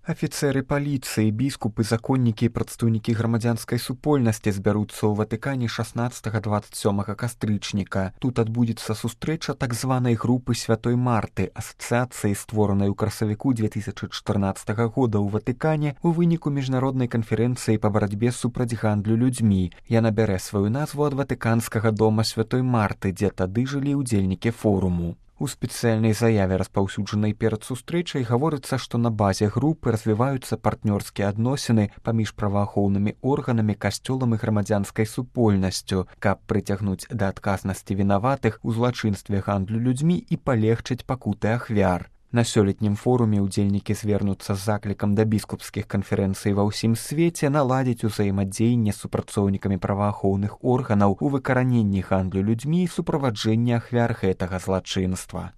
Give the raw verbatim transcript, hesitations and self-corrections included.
Афіцэры паліцыі, біскупы, законнікі і прадстаўнікі грамадзянскай супольнасці збяруцца ў Ватыкане шаснаццатага дваццаць сёмага кастрычніка. Тут адбудзецца сустрэча так званай групы Святой Марты, асацыяцыі, створанай у красавіку две тысячы чатырнаццатага года ў Ватыкане у выніку міжнароднай канферэнцыі па барацьбе супраць гандлю людзьмі. Яна бярэ сваю назву ад ватыканскага дома Святой Марты, дзе тады жылі ўдзельнікі форуму. У спецыяльнай заяве, распаўсюджанай перад сустрэчай, гаворыцца, што на базе групы развіваюцца партнёрскія адносіны паміж праваахоўнымі органамі, касцёлам і грамадзянскай супольнасцю, каб прыцягнуць да адказнасці вінаватых у злачынстве гандлю людзьмі і палегчыць пакуты ахвяр. На сёлетнім форуме ўдзельнікі звернуцца з заклікам да біскупскіх канферэнцый ва ўсім свеце наладзіць узаемадзеянне з супрацоўнікамі праваахоўных органаў у выкараненні гандлю людзьмі і суправаджэнні ахвяр гэтага злачынства.